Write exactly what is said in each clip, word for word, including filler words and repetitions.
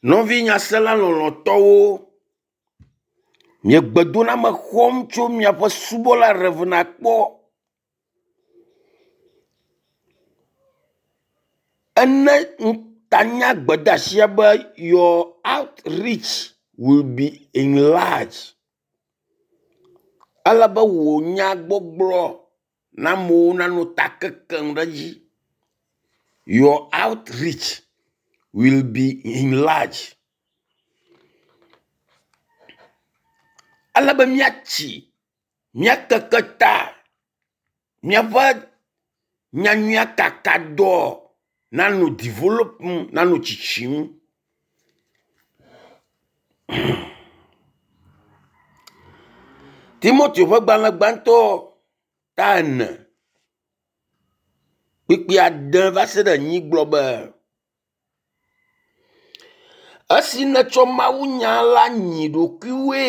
Nɔvi nyasela lɔlɔ̃tɔwo, miegbedoname xɔm tso miaƒe subɔla Rev. Akpɔ. Ene ŋutanya gbedeasia be your outreach will be enlarged. Ele be wò nyagbɔgblɔ na amewo nanɔ ta kekem ɖe edzi. Your outreach will be enlarged. Ele be míatsi, míakeke ta, míaƒe nyanyuiakakadɔ nanɔ developum, nanɔ tsitsim. Timoteo ƒe gbalẽ gbãtɔ ta ene kpukpui ade va se ɖe enyi gblɔ be, esi nètsɔ mawunya la nyi ɖokuiwoe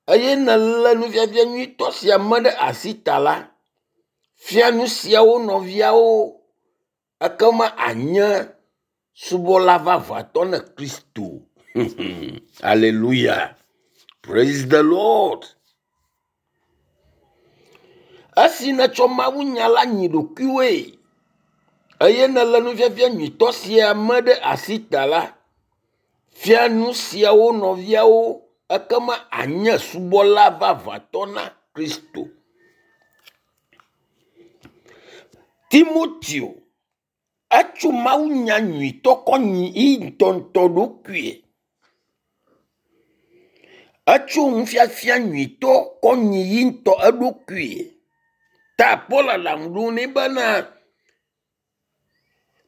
eye nèlé nufiafia nyuitɔ sia me ɖe asi ta la, fia nu siawo nɔviawo ekema ànye subɔla vavãtɔ ne Kristo. Aleluya. Praise the Lord. Esi nètsɔ mawunya la nyi ɖokuiwoe eye nèlé nufiafia nyuitɔ sia me ɖe asi ta la, fia nu siawo nɔviawo ekema ànye subɔla vavãtɔ na Kristo. Timoteo etso mawunya nyuitɔ kɔ nyi ye ŋutɔŋutɔ ɖokuie. Etso nufiafia nyuitɔ kɔ nyi ye ŋutɔ eɖokuie. Ta Paul aɖaŋu ɖom nɛ bena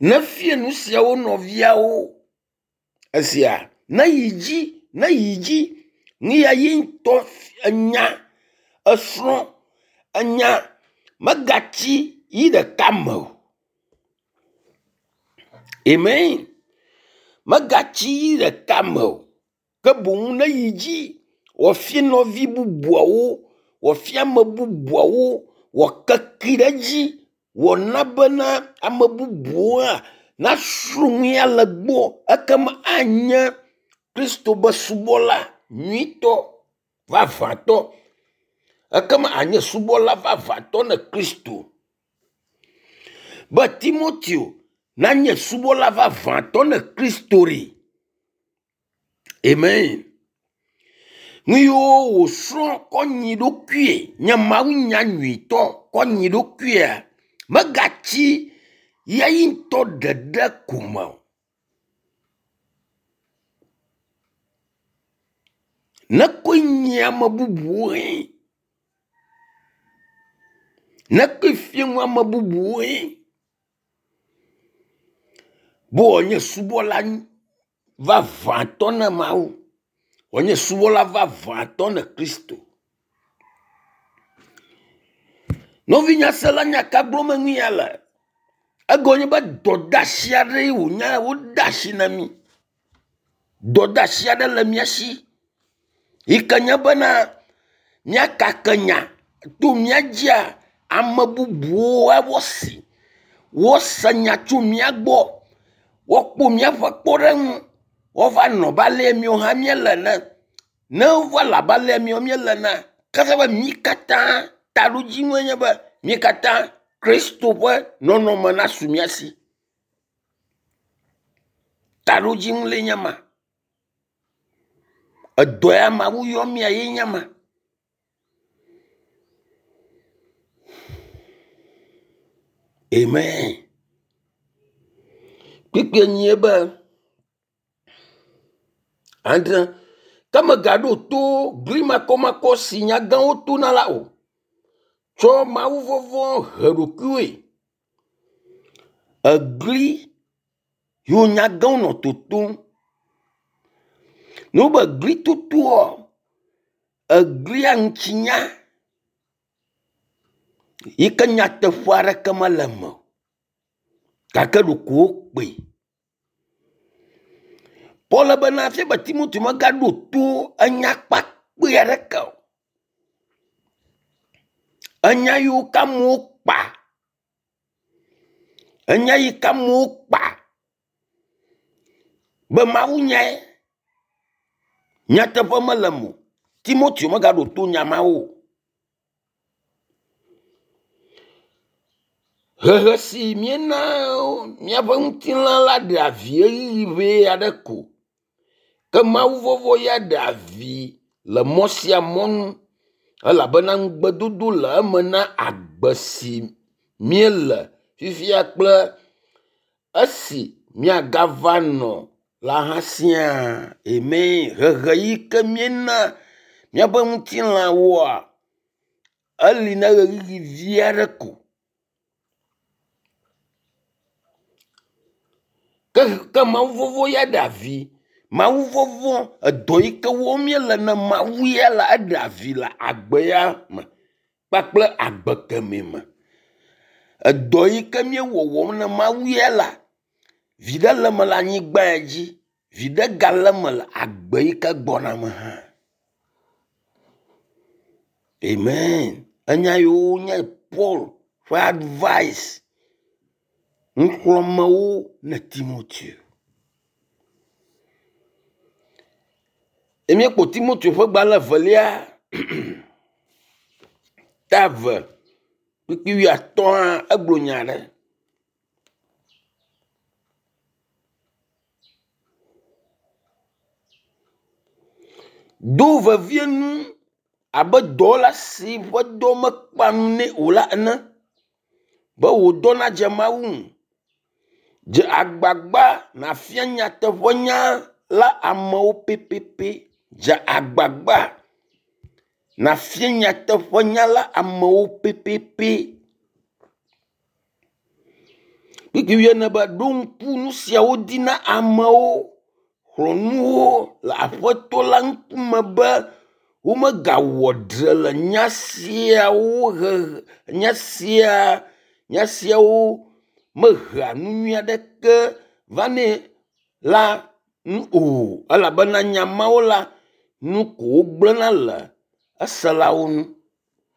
nefia nu siawo nɔviawo. Esia neyi dzi neyi dzi nu ya ye ŋutɔ enya esrɔ̃ enya megatsi yi ɖeka me o. Amen. Megatsi yi ɖeka me o. Ke boŋ neyi dzi wòafia nɔvi bubuawo, wòafia ame bubuawo, wòakekee ɖe edzi, wòana bena ame bubuwo hã nasrɔ̃ nu ya le gbɔ ekema anye Kristo be subɔla nyuitɔ vavãtɔ. Ekema anye subɔla vavãtɔ ne Kristo. Be Timoteo nanye subɔla vavãtɔ ne Kristo ɖe. Amen. Nu yiwo wòsrɔ̃ kɔ nyi ɖokuie nye mawunya nyuitɔ kɔ nyi ɖokuia megatsi ye ŋutɔ ɖeɖe ko me o. Nekɔe nyi ame bubuwoe. Nekɔe fia nu ame bubuwoe. Be wòanye subɔla vavãtɔ ne Mawu. Wòanye subɔla vavãtɔ ne Kristo. Nɔvi nyasela nya ka gblɔm nu ya le? Egɔme nye be dɔdeasi aɖee wònye wode asi na mí. Dɔdeasi aɖe le mía si yi ke nye bena míakake nya to mía dzia ame bubuwo woasi woase nya tso mía gbɔ woakpɔ míaƒe kpɔɖeŋu woava nɔ abe ale míawo hã míele ene. Ne wova le abe ale míawo míele enea, ke efia be mí katã taɖodzinue nye be mí katã Kristo ƒe nɔnɔme nasu mía si. Taɖodzinu lae nye ma. Edɔ ya Mawu yɔ mía ye nye ma. Amen. Kpukpui enyie be adre ke mègaɖo to gli makɔmakɔ si nyagãwo tona la o. Tsɔ mawuvɔvɔ̃ he ɖokuiwòe. Egli yiwo nyagãwo nɔ totom. Ne wobe glitotoa, eglia ŋutinya yi ke nyateƒe aɖeke mele eme o gake ɖeko wokpee. Paul bena fia be Timoteo megaɖo to enya kpakpɛ aɖeke o. Enya yiwo ke amewo kpa, enya yi ke amewo kpa Be Mawu nyae. Nyateƒe mele eme o. Timoteo megaɖo to nya mawo o. Hehe si míena míaƒe ŋutilã la ɖea vi ɣeyiɣi ʋee aɖe ko. Ke Mawu vɔvɔ̃ ya ɖea vi le mɔ sia mɔ nu elabena ŋugbedodo le eme na agbe si míele fifia kple esi míagava nɔ la hã siaa. Amen. Hehe yi ke míena míaƒe ŋutilãwoa, eli na ɣeyiɣi vi aɖe ko. Ke, ke Mawu vɔvɔ̃ ya ɖea vi. Mawu vɔvɔ̃, edɔ yi ke wɔm míele na Mawu ya la, eɖea vi le agbe ya me kpakple agbe kemɛ me. Edɔ yi ke míewɔwɔm na Mawu ya la, viɖe le eme le anyigba ya dzi, viɖe gale eme le agbe yi ke gbɔna me hã. Amen. Enya yiwo nye Paul ƒe advice nuxlɔ̃amewo na Timoteo. Míekpɔ Timoteo ƒe gbalẽ evelia ta eve kpukpui wuiatɔ̃a egblɔ nya aɖe. Do vevie nu abe dɔwɔla si ƒe dɔ mekpea nu nɛ o la ene be wò dɔ nadze Mawu ŋu. Dze agbagba nàfia nyateƒenya la amewo pɛpɛpɛ. Dze agbagba nàfia nyateƒenya la amewo pɛpɛpɛ. Kpukpui wuiene be ɖo ŋku nu siawo dzi na amewo. Xlɔ̃ nu wo le Aƒetɔ la ŋkume be womegawɔ dzre le nya siawo hehe nya sia nya siawo mehea nu nyui aɖeke vanɛ la ŋu o elabena nya mawo la, nu ko wogblẽna le eselawo ŋu.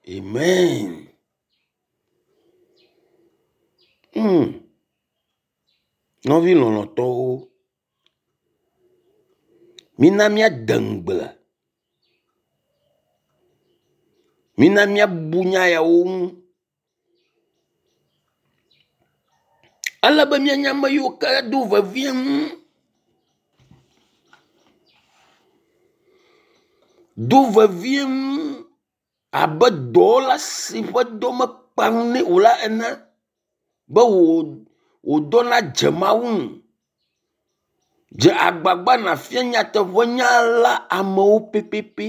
Amen. Hmm. Nɔvi lɔlɔ̃tɔwo, mina míade ŋugble. Mina míabu nya yawo ŋu. Ele be míanye ame yiwo ke do vevie nu. Do vevie nu abe dɔwɔla si ƒe dɔ mekpea ŋu nɛ o la ene be wò wò dɔ nadze Mawu ŋu. Dze agbagba nàfia nyateƒenya la amewo pɛpɛpɛ.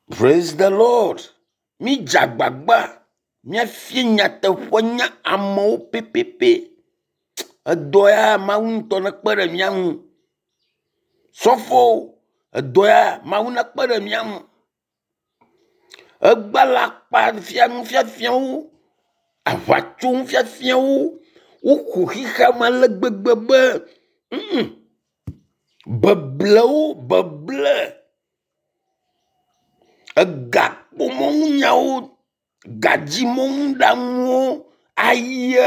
Praise the Lord. Mídze agbagba míafia nyateƒenya amewo pɛpɛpɛ. Edɔ ya Mawu ŋutɔ nekpe ɖe mía ŋu. Sɔfowo, edɔ ya Mawu nekpe ɖe mía ŋu. Egbe alakpa fia nufiafiawo, aʋatso nufiafiawo, woxɔ xexea me ale gbegbe be mm, beblewo beble egakpɔmɔnunyawo, gadzimɔnuɖaŋuwo, aye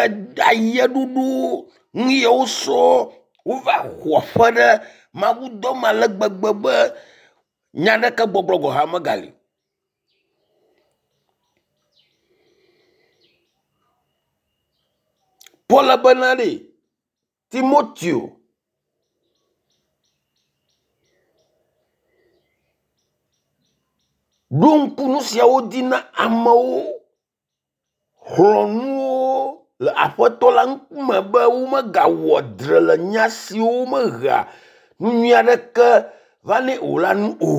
ayeɖoɖowo, nu yawo sɔ wova xɔ aƒe ɖe Mawudɔ me ale gbegbe be nya aɖeke gbɔgblɔ gɔ̃ hã megali o. Paul bena ɖe Timoteo ɖo ŋku nu siawo dzi na amewo, xlɔ̃ nu wo le Aƒetɔ la ŋkume be womegawɔ dzre le nya siwo mehea nu nyui aɖeke vanɛ o la ŋu o.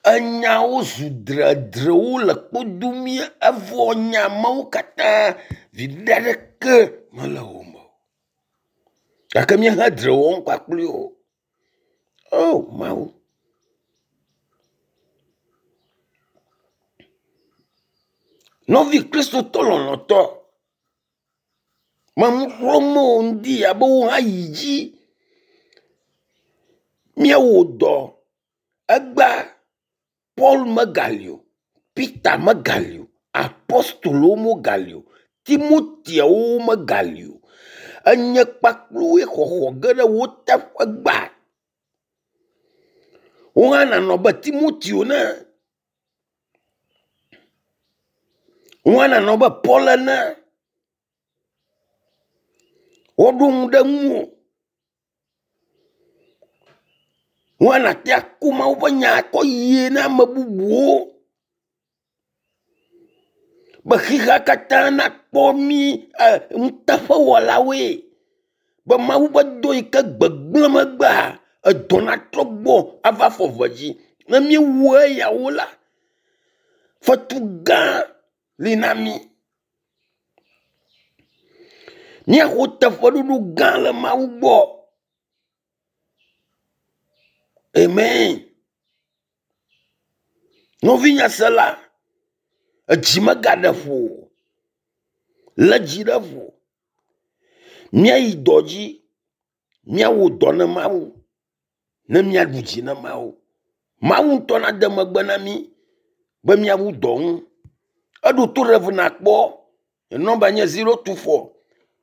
Enyawo zu dredrewo le kpodomi evɔ nya mawo katã viɖe aɖeke mele wo me o. Gake míehe dzre wɔm kpakpli wo. O Mawu. Nɔvi Kristotɔ lɔlɔ̃tɔ, menu xlɔ̃m wò ŋdi ya be wò hã yi dzi míawɔ dɔ. Egbea Paul megali o, Peter megali o, apostolowo megali o, Timoteawo megali o. Enye kpakpluwoe xɔxɔ ge ɖe wo teƒe gba. Wo hã nanɔ be Timoteo ne. Wo hã nanɔ be Paul ene. Woɖo ŋu ɖe ŋuwò. Wo hã nàte aku Mawu ƒe nya kɔ yie na ame bubuwo be xexea katã nakpɔ mí e nuteƒewɔlawoe. Be Mawu ƒe dɔ yi ke gbegblẽ megbea, edɔ natrɔ gbɔ ava afɔ eve dzi. Ne míewu eyawo la, fetu gã li na mí. Míaxɔ teƒeɖoɖo gã le Mawu gbɔ. Amen. Nɔvinyasela, edzi megaɖe ƒo o. Lé dzi ɖe ƒo. Míayi dɔ dzi, míawɔ dɔ ne Mawu, ne míaɖu dzi ne Mawu. Mawu ŋutɔ nade megbe na mí be míawu dɔ ŋu. Eɖo to Rev nakpɔ. Nɔmba nye zero two four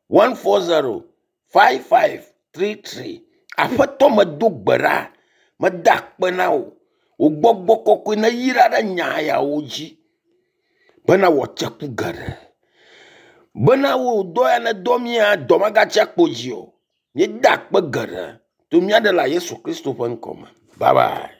one four zero five five three three. Aƒetɔ medo gbe ɖa, meda akpe na wò. Wò gbɔgbɔ kɔkɔe neyra ɖe nya yawo dzi bena wòatse ku geɖe. Bena wò dɔ ya nedɔ mía, dɔ magatsi akpo dzi o. Míeda akpe geɖe to mía ɖela Yesu Kristo ƒe ŋkɔ me. Bye bye.